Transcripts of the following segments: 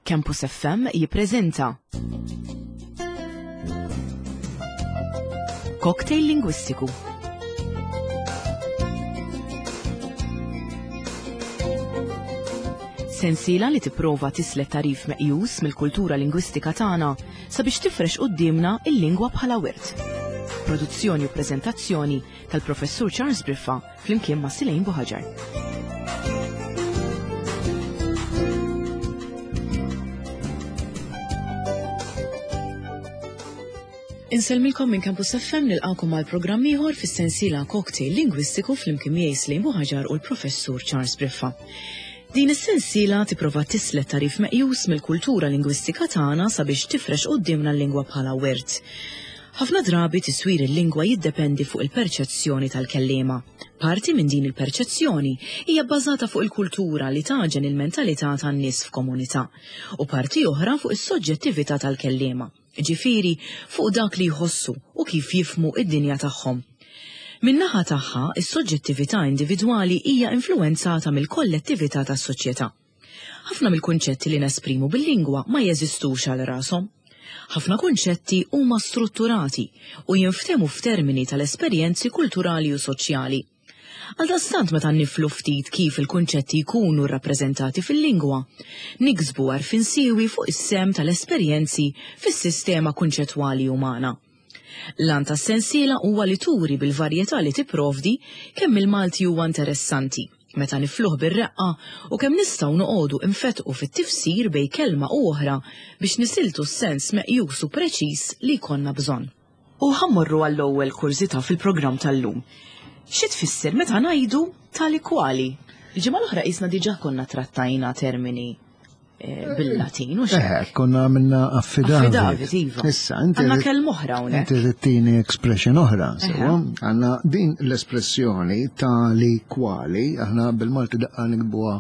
Campus FM jippreżenta Cocktail Lingwistiku. Sensiela li tipprova tislet tarif meqjus mill-kultura lingwistika tagħna sabiex tifrex quddiemna il-lingwa bħala wirt. Produzzjoni u preżentazzjoni tal-Professur Charles Briffa flimkien ma' Silejn Buħaġar. Insellmilkom minn Campus FM nilqakom għal programm ieħor fis-sensiela Cocktail Lingwistiku flimkien miegħi Slejn Buħaġar u l-Professur Charles Briffa. Din is-sensiela tipprova tislet tagħrif meqjus mill-kultura lingwistika tagħna sabiex tifrex quddiemna l-lingwa bħala wirt. Ħafna drabi tiswir il-lingwa jiddependi fuq il-perċezzjoni tal-kelliema. Parti minn din il-perċezzjoni hija bbażata fuq il-kultura li tagħġen il-mentalità tan-nies f'komunità, u parti oħra fuq is-soġġettività tal-kelliema, jiġifieri fuq dak li jħossu u kif jifhmu d-dinja tagħhom. Min-naħa tagħha, is-soġġettività individwali hija influwenzata mill-kollettività tas-soċjetà. Ħafna mill-kunċetti li nesprimu bil-lingwa ma jeżistux għal rashom. Ħafna kunċetti huma strutturati u jinftehmu f'termini tal-esperjenzi kulturali u soċjali. Għaldaqstant meta niflu ftit kif il-kunċetti jkunu rrappreżentati fil-lingwa, niksbu għarfien siewi fuq is-sehem tal-esperjenzi fis-sistema kunċettwali umana. L-għan tas-sensiela huwa li turi bil-varjetà li tipprovdi kemm il-Malti huwa interessanti meta nifluh bir-reqqa u kemm nistgħu noqogħdu nfettqu fit-tifsir bejn kelma u oħra biex nisiltu s-sens meqjus u preċiż li jkollna bżonn. U ħa mmorru għall-ewwel kurżità fil-programm tal-lum. Xi tfisser meta ngħidu tali kwali? Il-ġimgħa l-oħra qisna diġà konna trattajna termini eh, bil-Latin u Eh, konna għamilna affidavit. Affidavit, iva. Issa, inti. Għandna kelma oħra hawnhekk. Inti tittini expression oħra, sewa. Għandna din l-espressjoni tali kwali, aħna bil-Malti daqqa nikbuha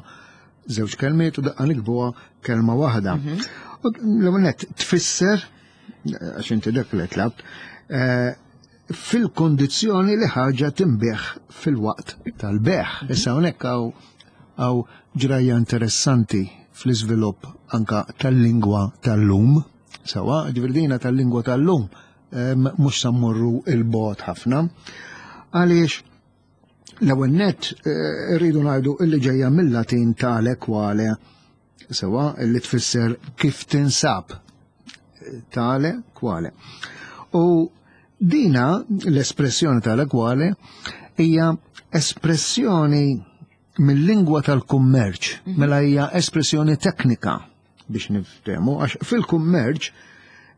żewġ kelmiet u daqqa nikbuha kelma waħda. Mhm. U l-ewwel tfisser għax inti dak li tlabt, eh, fil-kondizzjoni li ħaġa tinbigħ fil-waqt tal-beħ. Mhm. Issa hawnhekk hawn ġrajja interessanti fl-iżvilupp anka tal-lingwa tal-lum. Sawa, ġifieri tal-lingwa tal-lum mhux sa mmorru il-bot ħafna. Għaliex l-ewwel nett eh, irridu ngħidu illi ġejja mill-Latin tale quale Sewa, li tfisser kif tinsab. Tale, kwale. U dina, l-espressjoni tale kwale, hija espressjoni mill-lingwa tal-kummerċ, mhm. mela hija espressjoni teknika biex niftehmu, għax fil-kummerċ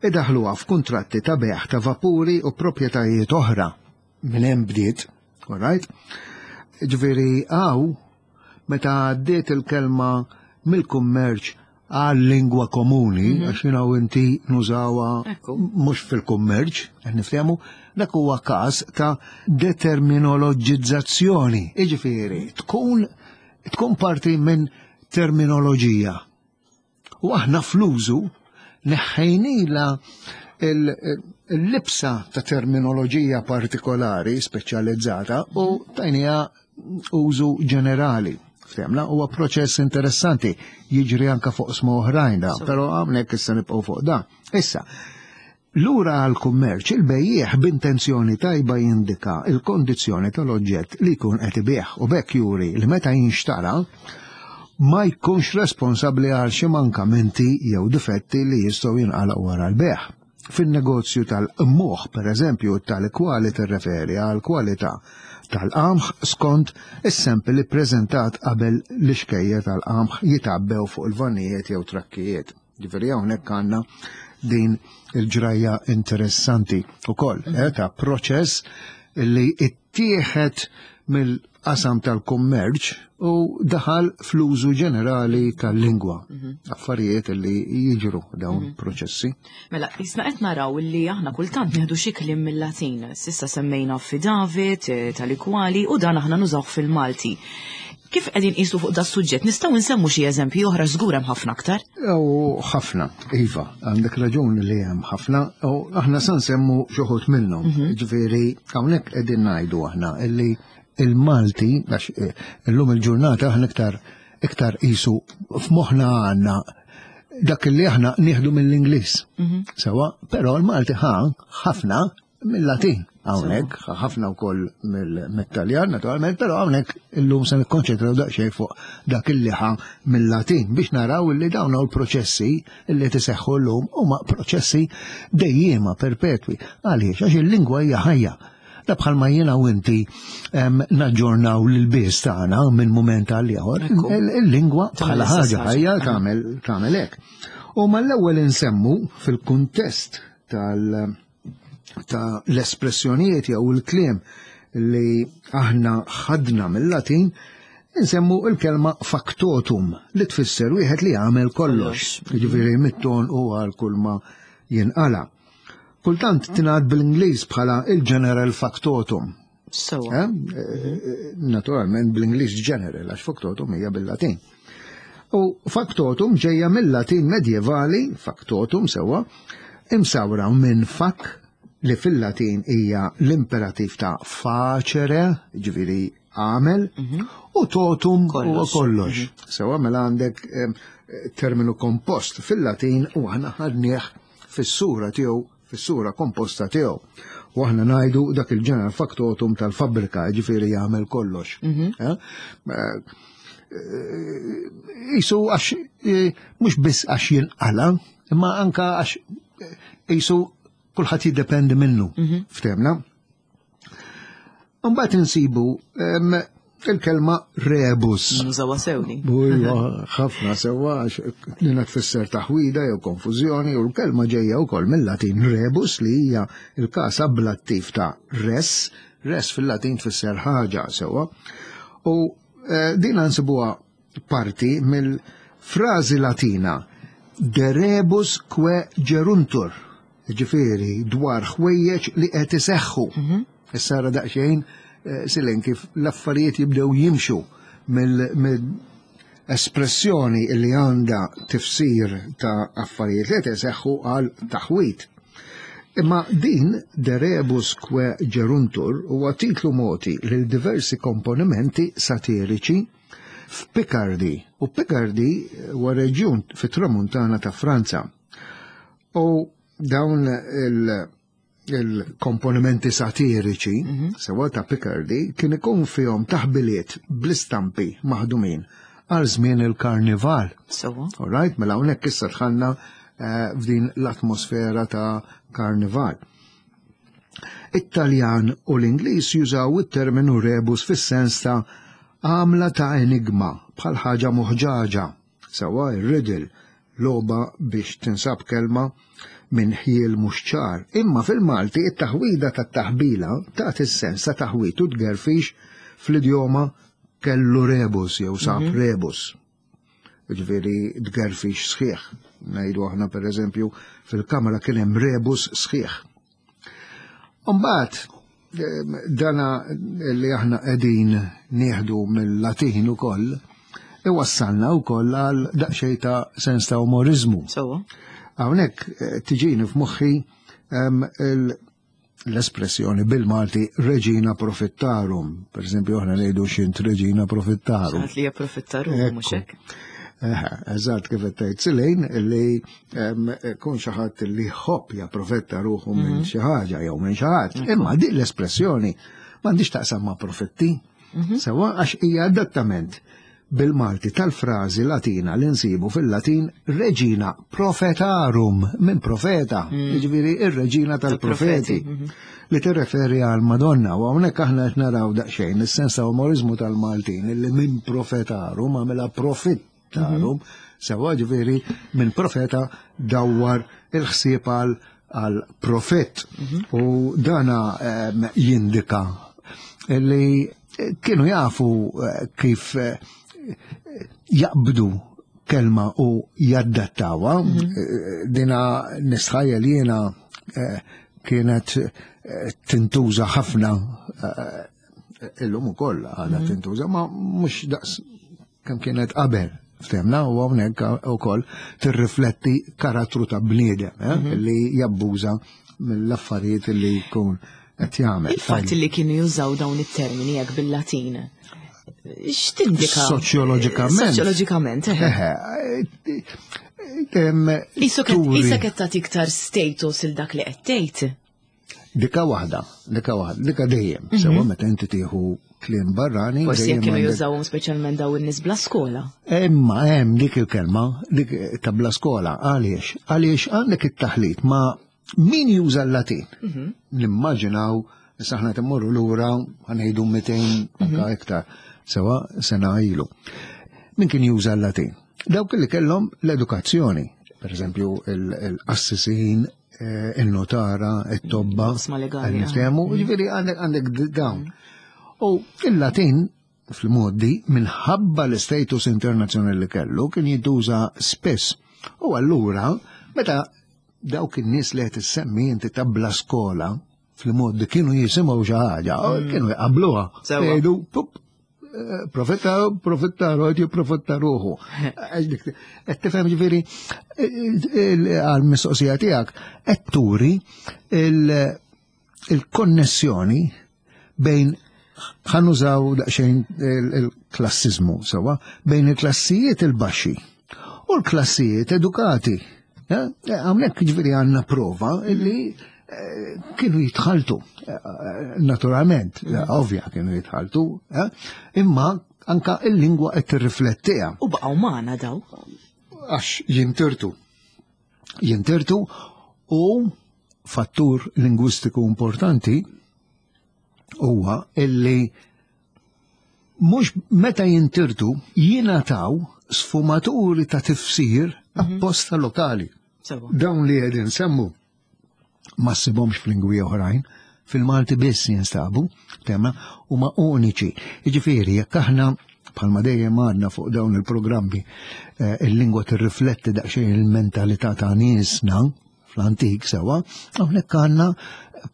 idaħluha f'kuntratti ta' beħ ta' vapuri u proprjetajiet oħra minn hemm bdiet, all right? Ġifieri hawn meta għaddiet il-kelma mill-kummerċ għal lingwa komuni, mhm. għax jina u inti nużawa mhux fil-kummerċ, qed niftehmu, dak huwa każ ta' determinoloġizzazzjoni. Jiġifieri, tkun tkun parti minn terminoloġija. U aħna fl-użu neħħejnila il-libsa ta' terminoloġija partikolari speċjalizzata u tajnija użu ġenerali. Ftemna huwa proċess interessanti jiġri anka fuq sma oħrajn da, però hawnhekk issa nibqgħu fuq da. Issa, Lura għall-kummerċ, il-bejjiegħ b'intenzjoni tajba jindika l-kondizzjoni tal-oġġett li jkun qed ibigħ u b'hekk juri li meta jinxtara ma jkunx responsabbli għal xi mankamenti jew difetti li jistgħu jinqalgħu wara l-bejgħ. Fin-negozju tal-qmuħ, pereżempju, tali kwali tirreferi għall-kwalità tal-qamħ skont is-sample ippreżentat qabel l-ixkejjer tal-qamħ jitgħabbew fuq il-vannijiet jew trakkijiet. Ġifieri hawnhekk għandna din il-ġrajja interessanti ukoll mm -hmm. eh, ta' proċess li ittieħed mill-qasam tal-kummerċ u daħal fl-użu ġenerali tal-lingwa. Mhm. Affarijiet li jiġru dawn mm -hmm. proċessi. Mela, jisna qed naraw li aħna kultant nieħdu xi kliem mill-Latin. Sissa semmejna affidavit, eh, tal-ikwali u dan aħna nużawh fil-Malti. Kif qegħdin qisu fuq da suġġett nistgħu nsemmu xi eżempji oħra żgur hemm ħafna aktar? U ħafna, iva, għandek raġun li hemm ħafna, u aħna sa nsemmu xi wħud minnhom. Mhm. Ġifieri hawnhekk qegħdin ngħidu aħna illi il-Malti, għax eh, illum il-ġurnata aħna iktar iktar qisu f'moħħna għandna. dak li aħna nieħdu mill-Ingliż. Sewa, però l-Malti ħa ħafna mill-Latin hawnhekk, ħafna wkoll mill-Taljan naturalment, però hawnhekk illum se nikkonċentraw daqsxejn fuq dak illi ħa mill-Latin biex naraw illi dawn hawn l-proċessi illi tiseħħu llum huma proċessi dejjiema perpetwi. Għaliex? Għax il-lingwa hija ħajja. Da bħalma jiena u inti naġġornaw l-bies tagħna minn mument għal ieħor, il-lingwa bħala ħaġa ħajja tagħmel tagħmel hekk. U mal-ewwel insemmu fil-kuntest tal- ta' l-espressjonijiet jew il-kliem li aħna ħadna mill-Latin, insemmu il-kelma factotum li tfisser wieħed li jagħmel kollox, jiġifieri mit-ton u għal kull ma jinqala. Kultant tingħad bl-Ingliż bħala il-general factotum. Sewa. Eh? eh, Naturalment bl-Ingliż general għax factotum hija bil-Latin. U factotum ġejja mill-Latin medjevali, factotum sewwa, imsawra minn fac li fil-Latin hija l-imperativ ta' facere, ġifieri għamel, mhm. u totum huwa kollox. Mhm. Sewwa mela għandek terminu kompost fil-Latin u aħna ħadnieh fis-sura tiegħu fis-sura komposta tiegħu. U aħna ngħidu dak il-ġeneral factotum tal-fabbrika, ġifieri jagħmel kollox. Mhm. Eh? Eh, isu għax eh, mhux biss għax jinqala, imma anka għax isu kulħadd jiddependi minnu. Mhm. Ftemna? Mbagħad insibu il-kelma rebus. Nużawha sewni. Ħafna sewwa għax lina tfisser taħwida jew konfużjoni u l-kelma ġejja wkoll mill-Latin rebus li hija l-każ ablattiv ta' res, res fil-Latin tfisser ħaġa sewwa. U eh, din nsibuha parti mill-frażi Latina de rebus que geruntur, ġifieri dwar ħwejjeġ li qed iseħħu. Mhm. Issa ra daqsxejn eh, silen kif l-affarijiet jibdew jimxu mill-espressjoni li għandha tifsir ta' affarijiet li qed iseħħu għal taħwit. Imma din De rebus que geruntur huwa titlu moti lil diversi komponimenti satiriċi f'Picardy, u Picardy huwa reġjun fit-tramuntana ta' Franza. U dawn il-komponimenti satiriċi, mhm. sewa ta' Picardy, kien ikun fihom taħbiliet bl-istampi maħdumin għal żmien il-karnival. Sewa. All right, mela hawnhekk issa dħalna eh, f'din l-atmosfera ta' karnival. It-Taljan u l-Ingliż jużaw it-terminu rebus fis-sens ta' għamla ta' enigma bħal ħaġa moħġaġa, sewwa ir-riddle, logħba biex tinsab kelma minn ħjiel mhux ċar. Imma fil-Malti it-taħwida tat-taħbila tagħti s-sens ta' taħwid u tgerfix fl-idjoma kellu rebus jew sab mhm. rebus. Ġifieri tgerfix sħiħ. Ngħidu aħna pereżempju fil-kamra kien hemm rebus sħiħ. Umbagħad dana li aħna qegħdin nieħdu mill-Latin ukoll iwassalna wkoll għal daqsxejn ta' sens ta' umorizmu. Hawnhekk eh, tiġini f'moħħi l-espressjoni bil-Malti reġina profittarum. Per esempio, aħna ngħidu xint reġina profittarum. Xaħat li profittarum, mhux hekk. Eżatt kif qed tgħid Silejn li kun xi ħadd li ħobb japprofetta ruħu minn mhm. xi ħaġa jew minn xi ħadd. Imma din l-espressjoni m'għandix taqsam ma' profitti. Mhm. Sewa għax hija adattament bil-Malti tal-frażi Latina li nsibu fil-Latin Regina Profetarum minn profeta, mm. jiġifieri ir-reġina tal-profeti mhm. li tirreferi għal Madonna u hawnhekk aħna qed naraw daqsxejn is-sens ta' umorizmu tal-Maltin li minn profetarum għamilha profittarum, mhm. sewa ġifieri minn profeta dawwar il-ħsieb għal għal profett mhm. u dana ehm, jindika li kienu jafu eh, kif eh, jaqbdu kelma u jaddattawa. Mhm. Eh, dina nistħajjel jiena kienet tintuża ħafna illum ukoll għadha mhm. tintuża, ma mhux daqs kemm kienet qabel. Ftemna u hawnhekk ukoll tirrifletti karattru ta' bniedem eh, mhm. li jabbuża mill-affarijiet li jkun qed jagħmel. Il-fatt li kienu jużaw dawn it-termini hekk bil-Latin. X'tindika? Soċjoloġikament. Soċjoloġikament, eħe. Isa qed tagħti iktar status il dak li qed tgħid. Dika waħda, dika waħda, dika dejjem. Mhm. Sewa meta inti tieħu kliem barrani. Forsi jekk kienu jużawhom speċjalment daw in-nies bla skola. Imma hemm dik il-kelma, dik ta' bla skola, għaliex? Għaliex għandek it-taħlit ma' min juża l-Latin. Mhm. Nimmaġinaw, issa aħna timmorru lura ħanejdu 200 anka mhm. iktar, sewa sena ilu. Min kien juża l-Latin? Dawk li kellhom l-edukazzjoni, per eżempju il-qassisin, eh, il-notara, it-tobba, niftehmu, mm. ġifieri għandek għandek dawn. Mm. U il-Latin fil-modi minħabba l-status internazzjonali li kellu kien jintuża spiss. U allura meta dawk in-nies li qed issemmi inti tabla skola fil-modi kienu jisimgħu xi ħaġa, mm. kienu jqabluha. Jgħidu, profetta, profetta, rojt jipprofetta ruħu. Qed tifhem ġifieri għal-mistoqsija tiegħek qed turi il-konnessjoni bejn ħanużaw daqsxejn il-klassizmu sewwa bejn il-klassijiet il-baxxi u l-klassijiet edukati. Hawnhekk ġifieri għandna prova li kienu jitħaltu, naturalment, ovvja kienu jitħaltu, eh, imma anka il-lingwa qed tirriflettiha. U baqgħu magħna daw. Għax jintirtu. Jintirtu u fattur lingwistiku importanti huwa illi mhux meta jintirtu jingħataw sfumaturi ta' tifsir mhm. apposta lokali. Dawn li qegħdin semmu ma ssibhomx f'lingwi oħrajn, fil-Malti biss jinstabu, tema, huma uniċi. Jiġifieri jekk aħna bħalma dejjem għandna fuq dawn il-programmi eh, il-lingwa tirrifletti daqsxejn il-mentalità ta' niesna fl-antik sewa, hawnhekk għandna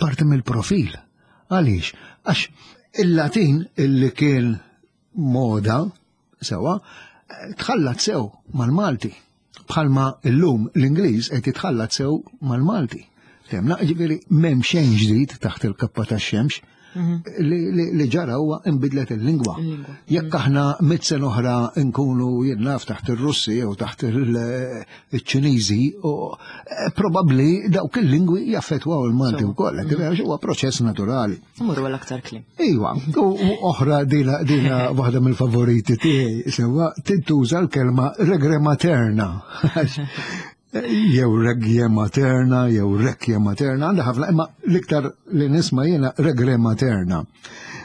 parti mill-profil. Għaliex? Għax il-Latin illi kien moda Sewa, tħallat sew mal-Malti. Bħalma illum l-Ingliż qed jitħallat sew mal-Malti. Temna, ġifieri m'hemm xejn ġdid taħt il-kappa tax-xemx mhm. li ġara huwa inbidlet il-lingwa. Jekk mhm. aħna mit sena oħra nkunu jien naf taħt ir-Russi jew taħt il-Ċiniżi, eh, probabbli dawk il-lingwi jaffettwaw il-Malti wkoll, mhm. huwa proċess naturali. Mmorru għal aktar kliem. Iwa, u oħra dina dina waħda mill-favoriti tiegħi sewwa tintuża l-kelma regre materna. jew regje materna, jew rekje materna, għandha ħafna, imma l-iktar li nisma' jiena regre materna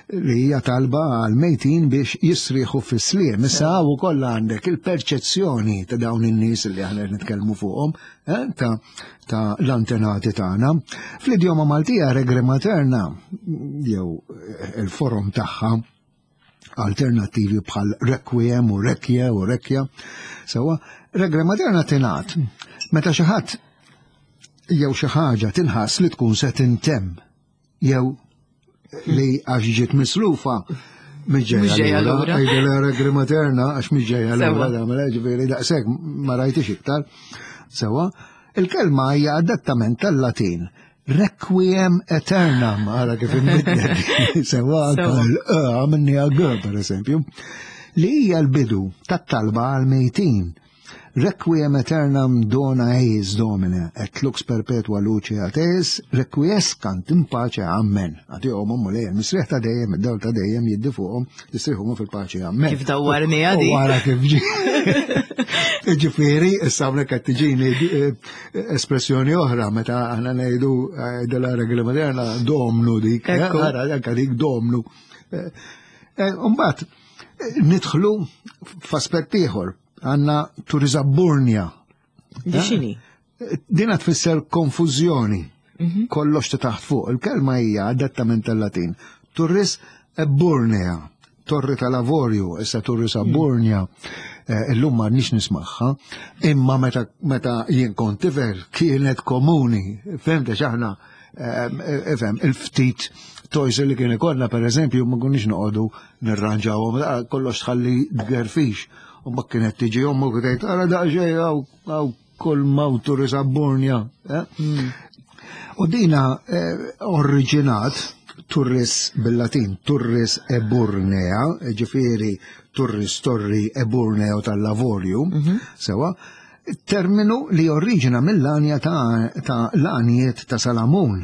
li hija talba għal mejtin biex jisriħu fis-sliem. Issa hawn ukoll għandek il-perċezzjoni ta' dawn in-nies li aħna nitkellmu fuqhom, eh, ta' ta' l-antenati tagħna. Fl-idjoma Maltija regre materna jew eh, il-forom tagħha alternattivi bħal requiem u rekje u rekja. Sewa, regre materna tingħad meta xi ħadd jew xi ħaġa tinħass li tkun se tintemm jew li għax ġiet mislufa miġġejja lura. Għajdela regri materna għax miġġejja lura tagħmel ġifieri daqshekk ma rajtix iktar. Sewa, il-kelma hija adattament tal-Latin. Requiem aeternam, għara kif imbidlet. Sewa, għamilni għal per eżempju, li hija l-bidu tat-talba għal-mejtin Requiem aeternam dona eis Domine, et lux perpetua luce ad eis, requiescant in pace, amen. Għatihom Mulej, il-misriħ ta' dejjem, id-dawl ta' dejjem jiddi fuqhom, jistrieħu fil-paċi, amen. Kif dawwarni għadi. Wara kif ġi. Ġifieri, issa hawnhekk qed tiġini eh, espressjoni oħra meta aħna ngħidu eh, della regola moderna domnu dik, eh, ara anke dik domnu. Mbagħad nidħlu f'aspett ieħor Għanna turiżabburnja. Di xini? Dina tfisser konfużjoni. Mhm. Kollox ta' taħt fuq. Il-kelma hija adattament tal-Latin. Turris ebburnea, torri tal-avorju, issa turris mhm. abburnja. Eh, illum ma nix nismaħħa, imma meta, meta jien kont tifel kienet komuni, fehmta xaħna, eh, fhem, il-ftit toys li kien ikollna per eżempju ma konniex noqogħdu nirranġawhom, kollox tħalli tgerfix. U ma kienet tiġi ommu tgħid ara daqsxejn hawn kull mawtu risabbornja. Eh? Hmm. U dina eh, oriġinat Turris bil-Latin, Turris Eburnea, ġifieri Turris Torri Eburneo tal-Lavorju, sewa, terminu li oriġina mill-għanja ta', ta l-għanjiet ta' Salamun.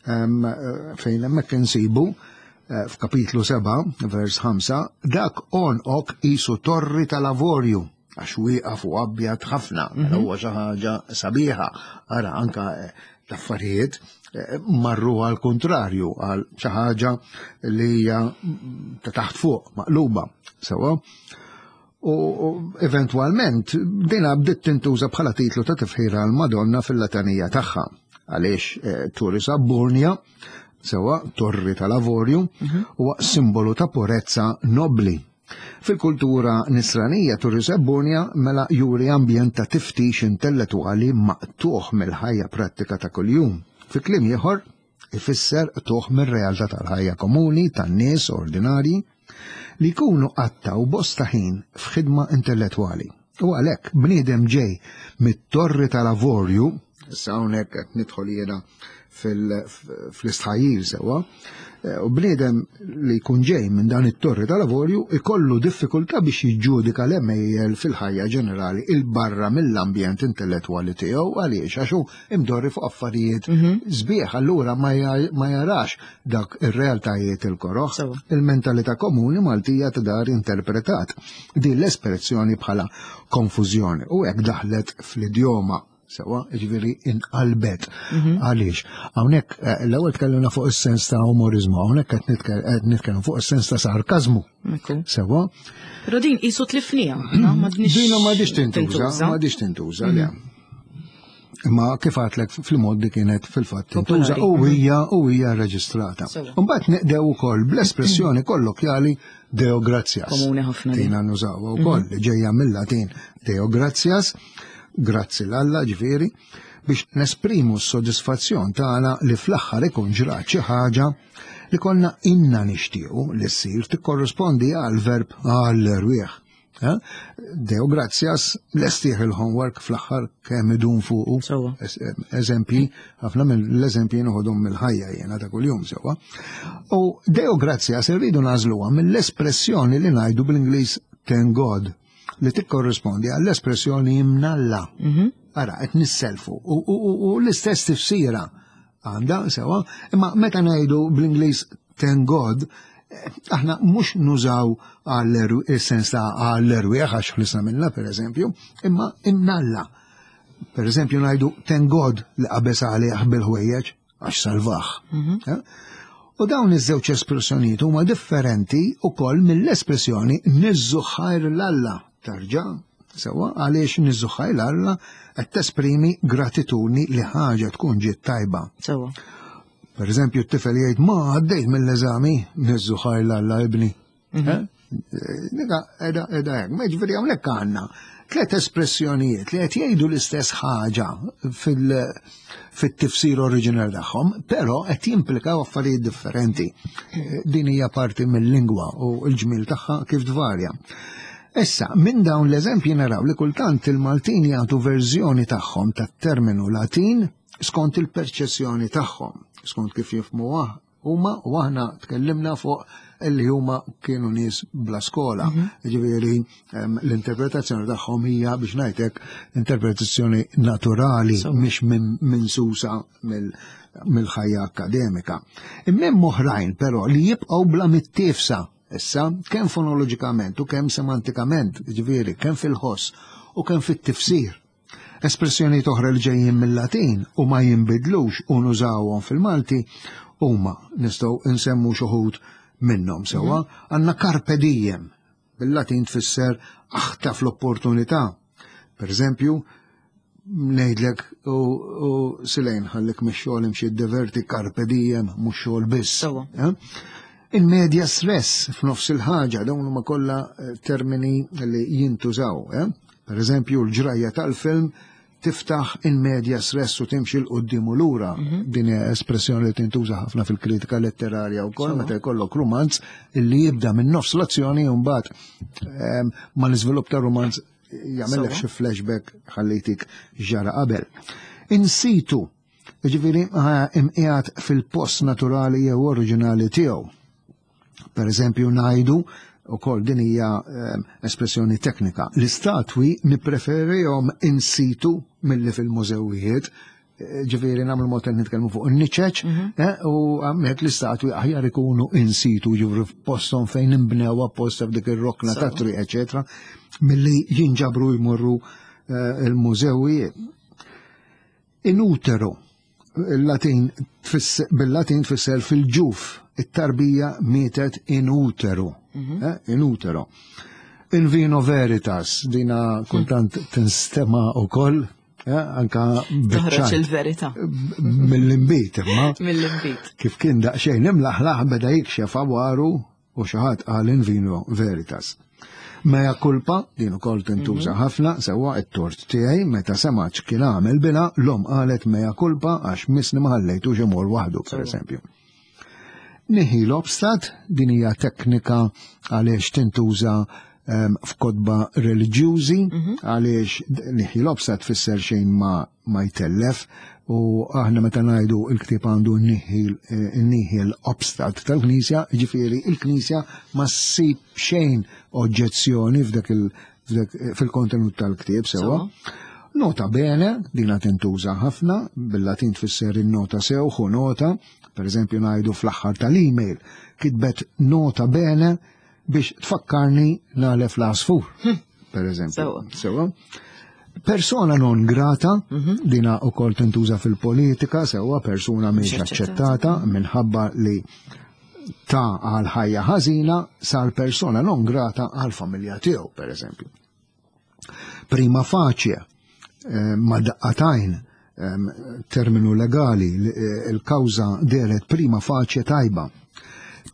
Fejn hemmhekk insibu eh, f'kapitlu 7, vers 5, dak onqok qisu torri tal-avorju għax wieqaf u abjad ħafna, mela huwa xi ħaġa sabiħa. Ara anka eh, l-affarijiet eh, marru għal kontrarju għal xi ħaġa li hija ta' taħt fuq maqluba. Sewa. U eventwalment dina bdiet tintuża bħala titlu ta' tifħira għal Madonna fil-latanija tagħha. Għaliex eh, Turris Aburnia, sewa torri tal-avorju, huwa simbolu ta' purezza nobli. Fil-kultura nisranija Turris Aburnia mela juri ambjent ta' tiftix intellettwali maqtuħ mill-ħajja prattika ta' kuljum. Fi kliem ieħor, ifisser qtugħ mir-realtà tal-ħajja komuni tan-nies ordinarji li jkunu qattgħu bosta ħin f'ħidma intellettwali. U għalhekk bniedem ġej mit-torri tal-avorju, issa hawnhekk qed nidħol jiena fl-istħajjil sewwa, eh, u bniedem li jkun ġej minn dan it-torri tal-avorju ikollu diffikultà biex jiġġudika l-għemejjel fil-ħajja ġenerali il barra mill-ambjent intellettwali tiegħu għaliex għax hu imdorri fuq affarijiet sbieħ allura ma jarax dak ir-realtajiet il-koroħ. Il-mentalità komuni Maltija ta' dar interpretat din l-espressjoni bħala konfużjoni u hekk daħlet fl-idjoma sewa, ġifieri inqalbet. Għaliex, hawnhekk eh, l-ewwel tkellimna fuq is-sens ta' umorizmu, hawnhekk qed nitkellmu fuq is-sens ta' sarkażmu. Sewa. Però din qisu tlifnija, Dina ma diċ tintuża, ma diċ tintuża, le. Imma kif għatlek fil-moddi kienet fil-fatt tintuża u hija u hija reġistrata. Mbagħad neqdew ukoll bl-espressjoni kollokjali Deo gratias. Komuni ħafna. Tina nużawha wkoll li ġejja mill-Latin Deo gratias, grazzi l-Alla ġifieri, biex nesprimu s-sodisfazzjon tagħna li fl-aħħar ikun ġrat xi ħaġa li konna inna nixtiequ li ssir tikkorrispondi għal verb għall-erwieħ. Eh? Deo gratias, lestih il-homework fl-aħħar kemm idum fuqu. Eżempji, ħafna mill-eżempji noħodhom mill-ħajja jiena ta' kuljum sewwa. U Deo gratias irridu nagħżluha mill-espressjoni li ngħidu bl-Ingliż thank God li tikkorrispondi għall-espressjoni imnalla. Ara, qed nisselfu u l-istess tifsira għandha sewa, imma meta ngħidu bl-Ingliż thank God, aħna mhux nużaw għall-sens ta' għall-erwieħ għax ħlisna minna per eżempju, imma imnalla. Per eżempju ngħidu thank God li qabeż għalih bil-ħwejjeġ għax salvah. Eh? U dawn iż-żewġ espressjonijiet huma differenti wkoll mill-espressjoni niżżu ħajr l-Alla. Tarġa' sewwa għaliex niżżu ħajr l-Alla qed tesprimi gratitudni li ħaġa tkun ġiet tajba. Sewwa. Per eżempju, t-tifel jgħid ma għaddejt mill-eżami, niżżu ħajr l-Alla ibni. Eh? Nika, edha, edha hekk. Ma ġifieri hawnhekk għandna tliet espressjonijiet li qed jgħidu l-istess ħaġa fit-tifsir oriġinali tagħhom, però qed jimplikaw affarijiet differenti. Din hija parti mill-lingwa u l-ġmiel tagħha kif tvarja. Issa, minn dawn l-eżempji naraw li kultant il-Maltin jagħtu verżjoni tagħhom tat-terminu Latin skont il-perċezzjoni tagħhom, skont kif jifhmuha huma u aħna tkellimna fuq illi huma kienu nies bla skola. Ġifieri l-interpretazzjoni tagħhom hija biex ngħidlek interpretazzjoni naturali mhix minn susa mill-ħajja akkademika. Imma hemm oħrajn però li jibqgħu bla mittiefsa issa kemm fonoloġikament u kemm semantikament, ġifieri kemm fil-ħoss u kemm fit-tifsir. Espressjonijiet oħra li ġejjin mill-Latin u ma jinbidlux u nużawhom fil-Malti huma nistgħu nsemmu xi wħud minnhom sewwa. Għandna carpe diem, bil-Latin tfisser aħtaf l-opportunità. Per eżempju, ngħidlek u Silejn ħallik mix-xogħol imxi diverti carpe diem mhux xogħol biss. Sewwa. Eh? In media stress f'nofs il-ħaġa dawn huma kollha termini li jintużaw. Eh? Per eżempju, l-ġrajja tal-film tiftaħ in media stress u timxi 'l quddiem u lura. Din hija espressjoni li tintuża ħafna fil-kritika letterarja wkoll meta jkollok rumanz illi jibda minn nofs l-azzjoni u mbagħad ma l-iżvilupp ta' rumanz jagħmellek xi flashback ħallejtik ġara qabel. In situ. Jiġifieri imqiegħed fil-post naturali jew oriġinali tiegħu. Per eżempju ngħidu ukoll din hija ehm, espressjoni teknika. L-istatwi nippreferihom in situ milli fil-mużewijiet, eh, ġifieri nagħmlu mod qed nitkellmu fuq in-niċeċ, mhm. eh, u hemmhekk l-istatwi aħjar ikunu in situ ġifri f'posthom fejn inbnew apposta f'dik ir-rokna ta' triq, eċetera, milli jinġabru jmorru eh, il-mużewijiet. In utero, il-Latin bil-Latin tfisser fil-ġuf, it-tarbija mietet in utero. Mhm. Eh, in utero. In vino veritas, dina kultant tinstema u koll, eh, anka Toħroġ il-verità. Mill-imbit, imma. Mill-imbit. Kif kien daqsxejn imlaħlaħ beda jikxef għawaru u xi ħadd qal in vino veritas. Mea culpa, din ukoll tintuża mhm. ħafna, sewwa it-tort tiegħi meta semgħet kien għamel bina, l-om qalet mea culpa għax misni ma ħallejtux imur waħdu, pereżempju. Nihil obstat, din hija teknika għaliex tintuża ehm, f'kotba reliġjużi, mhm. għaliex nihil obstat tfisser xejn ma ma jtellef u aħna meta ngħidu l-ktieb għandu nihil obstat tal-Knisja, ġifieri il-Knisja ma ssib xejn oġġezzjoni f'dak il fil-kontenut tal-ktieb sewwa. Nota bene, dina tintuża ħafna, bil-Latin tfisser in-nota sew, ħu nota, per eżempju ngħidu fl-aħħar tal-email, kitbet nota bene biex tfakkarni nagħlef l-għasfur, hm. per eżempju. Sewa. Persona non grata, mhm. dina u kol tintuża fil-politika, sewa persuna mhix aċċettata minħabba li ta' għal ħajja ħażina sar persona non grata għal familja tiegħu, per eżempju. Prima facie, eh, ma daqqatajn, terminu legali, eh, il-kawża deret prima facie tajba.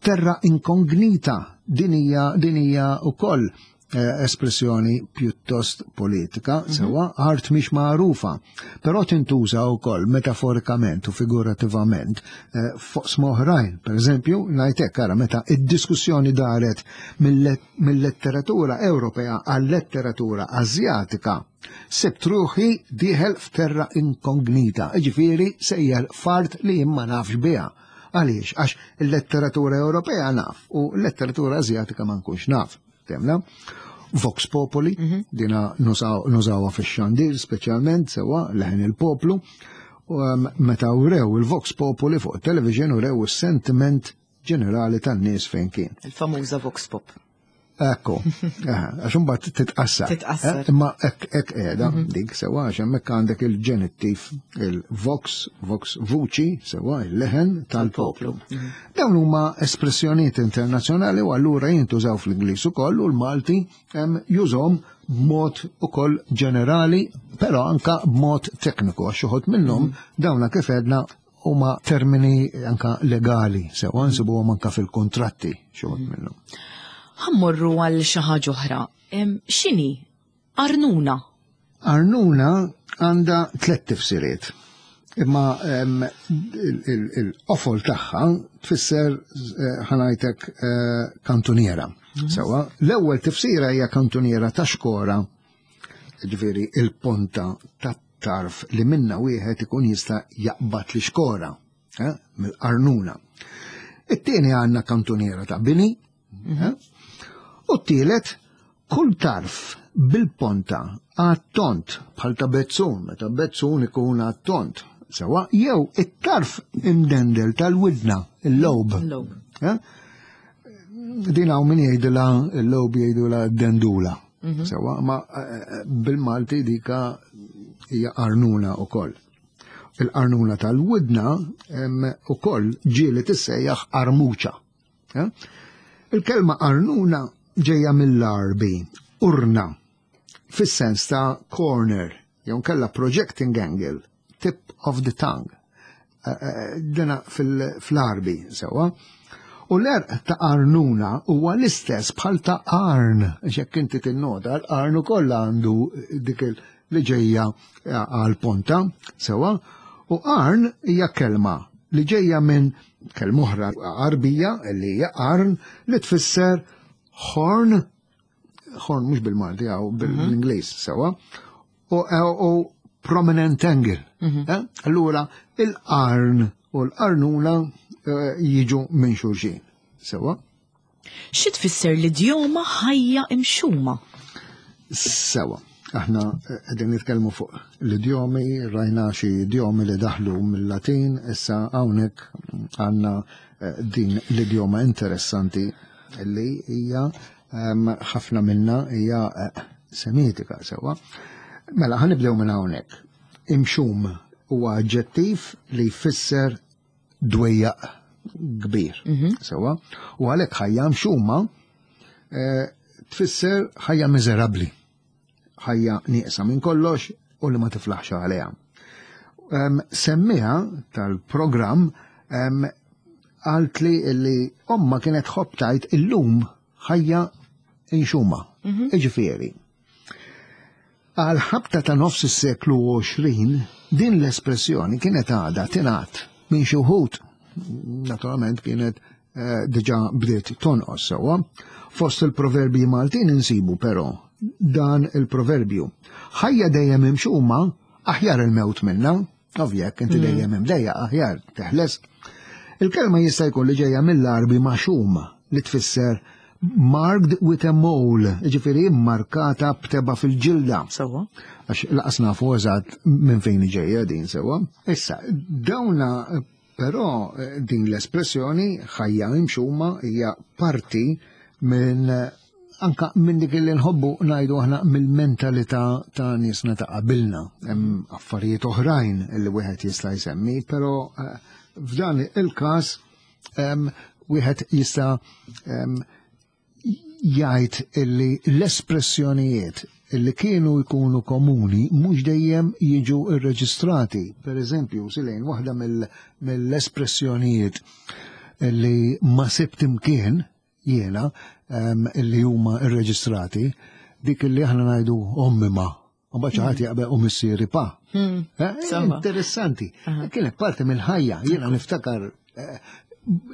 Terra inkognita din hija din hija wkoll eh, espressjoni pjuttost politika, mm -hmm. sewa art mhix magħrufa, però tintuża wkoll metaforikament u figurativament eh, fuq oħrajn. Per eżempju, ngħid ara meta id-diskussjoni daret mill-letteratura Ewropea għal-letteratura Azjatika Sibt ruħi dieħel f'terra inkognita, jiġifieri sejjer f'art li jien ma nafx biha. Għaliex? Għax il-letteratura Ewropea naf u l-letteratura Azjatika ma nkunx naf. Temna? Vox Populi, mhm. dina nużawha fix-xandir speċjalment sewwa leħen il-poplu. Um, meta urew il-Vox Populi fuq television urew is-sentiment ġenerali tan-nies fejn kien. Il-famuża Vox Pop. Ekku, għax imbagħad titqassar. Titqassar. Eh, imma hekk hekk qiegħda mhm. dik sewa għax hemmhekk għandek il-ġenittiv il-vox, vox vuċi, sewa il-leħen tal-poplu. Mhm. Dawn huma espressjonijiet internazzjonali u allura jintużaw fl-Ingliż ukoll u l-Malti jużhom b'mod ukoll ġenerali, però anka b'mod tekniku għax uħod minnhom mhm. dawna kif għedna huma termini anka legali, sewa nsibuhom anka fil-kontratti xi wħud mm. minnhom. Ħammorru għal xi ħaġa oħra. X'inhi arnuna? Arnuna għandha tliet tifsiriet. Imma il-qofol tagħha tfisser eh, ħanajtek eh, kantuniera. Mm. Sewa, l-ewwel tifsira hija kantuniera ta' xkora, ġifieri il-ponta ta' tarf li minna wieħed ikun jista' jaqbad li xkora eh, mill-qarnuna. It-tieni għandna kantuniera ta' bini, mhm. eh, u t-tielet kull tarf bil-ponta għat-tont bħal ta' bezzun, meta bezzun ikun għat-tont. Sewa, jew it-tarf imdendel tal-widna, il-lob. Eh? Din hawn min jgħidilha il-lob jgħidulha dendula. Mhm. Sewa, ma eh, eh, bil-Malti dika hija qarnuna ukoll. Il-qarnuna tal-widna ukoll ġieli tissejjaħ armuċa. Eh? Il-kelma qarnuna ġejja mill-Arbi, urna, fis-sens ta' corner, jew kella projecting angle, tip of the tongue. Eh, eh, dina fl-Arbi sewa. U l-erq ta' arnuna huwa l-istess bħal ta' arn, jekk inti tinnota l-arn ukoll għandu dik li ġejja eh, għal ponta, sewa. U arn hija kelma li ġejja minn kelma oħra Arbija li hija arn li tfisser horn, horn mhux bil-Malti għaw bil-Ingliż sewa, u prominent angle. Eh? Allura, il-qarn u l-qarnuna eh, jiġu minn xulxin. Sewa? Xi tfisser l-idjoma ħajja imxuma? Sewa. Aħna eh, qegħdin nitkellmu fuq l-idjomi, rajna xi idjomi li daħlu mill-Latin, issa hawnhekk għandna eh, din l-idjoma interessanti li hija ehm, ħafna minna hija eh, semitika sewa. Mela ħanibdew minn hawnhekk. Imxum huwa aġġettiv li jfisser dwejjaq kbir. Sewa, u għalhekk ħajja mxuma eh, tfisser ħajja miżerabbli, ħajja nieqsa minn kollox u li ma tiflaħx għaliha. Semmiha tal-programm għalt li li omma kienet tħobb tgħid illum ħajja inxuma. Iġifieri, għal ħabta ta' nofs is-seklu 20 din l-espressjoni kienet għadha tingħad minn xi wħud. Naturalment kienet eh, diġà bdiet tonqos sewwa. Fost il-proverbji Maltin insibu però dan il-proverbju. Ħajja dejjem imxuma aħjar il-mewt minna, ovvjek inti dejjem imdejja aħjar teħles. Il-kelma jista' jkun li ġejja mill-Arbi maxum li tfisser marked with a mole, ġifieri markata b'teba fil-ġilda. Sewa. Għax laqas nafu eżatt minn fejn ġejja din sewa. Issa, dawna però eh, din l-espressjoni ħajja imxuma hija parti minn anka minn dik li nħobbu ngħidu aħna mill-mentalità ta' niesna ta' qabilna. Hemm affarijiet oħrajn li wieħed jista' jsemmi, però eh, f'dan il-każ wieħed jista' jgħid illi l-espressjonijiet illi kienu jkunu komuni mhux dejjem jiġu irreġistrati. Per eżempju, silejn waħda mill-espressjonijiet illi ma sibt imkien jiena illi huma irreġistrati, dik illi aħna ngħidu ommi ma. U mbagħad xi ħadd jaqbel u missieri pa. Eh, Interessanti. Kienet parti mill-ħajja, jiena niftakar eh,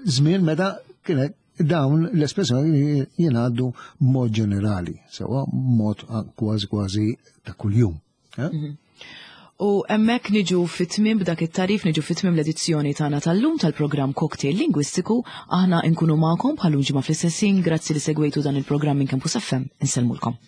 żmien meta kienet dawn l-espressjoni jingħaddu mod ġenerali, sewa mod kważi kważi ta' kuljum. Eh? U hemmhekk niġu fit-tmiem b'dak it-tarif niġu fit-tmiem l-edizzjoni tagħna tal-lum tal-programm Cocktail Lingwistiku. Aħna nkunu magħkom bħal ġimgħa fl-istess ħin, grazzi li segwejtu dan il-programm minn Campus FM. Insellmulkom.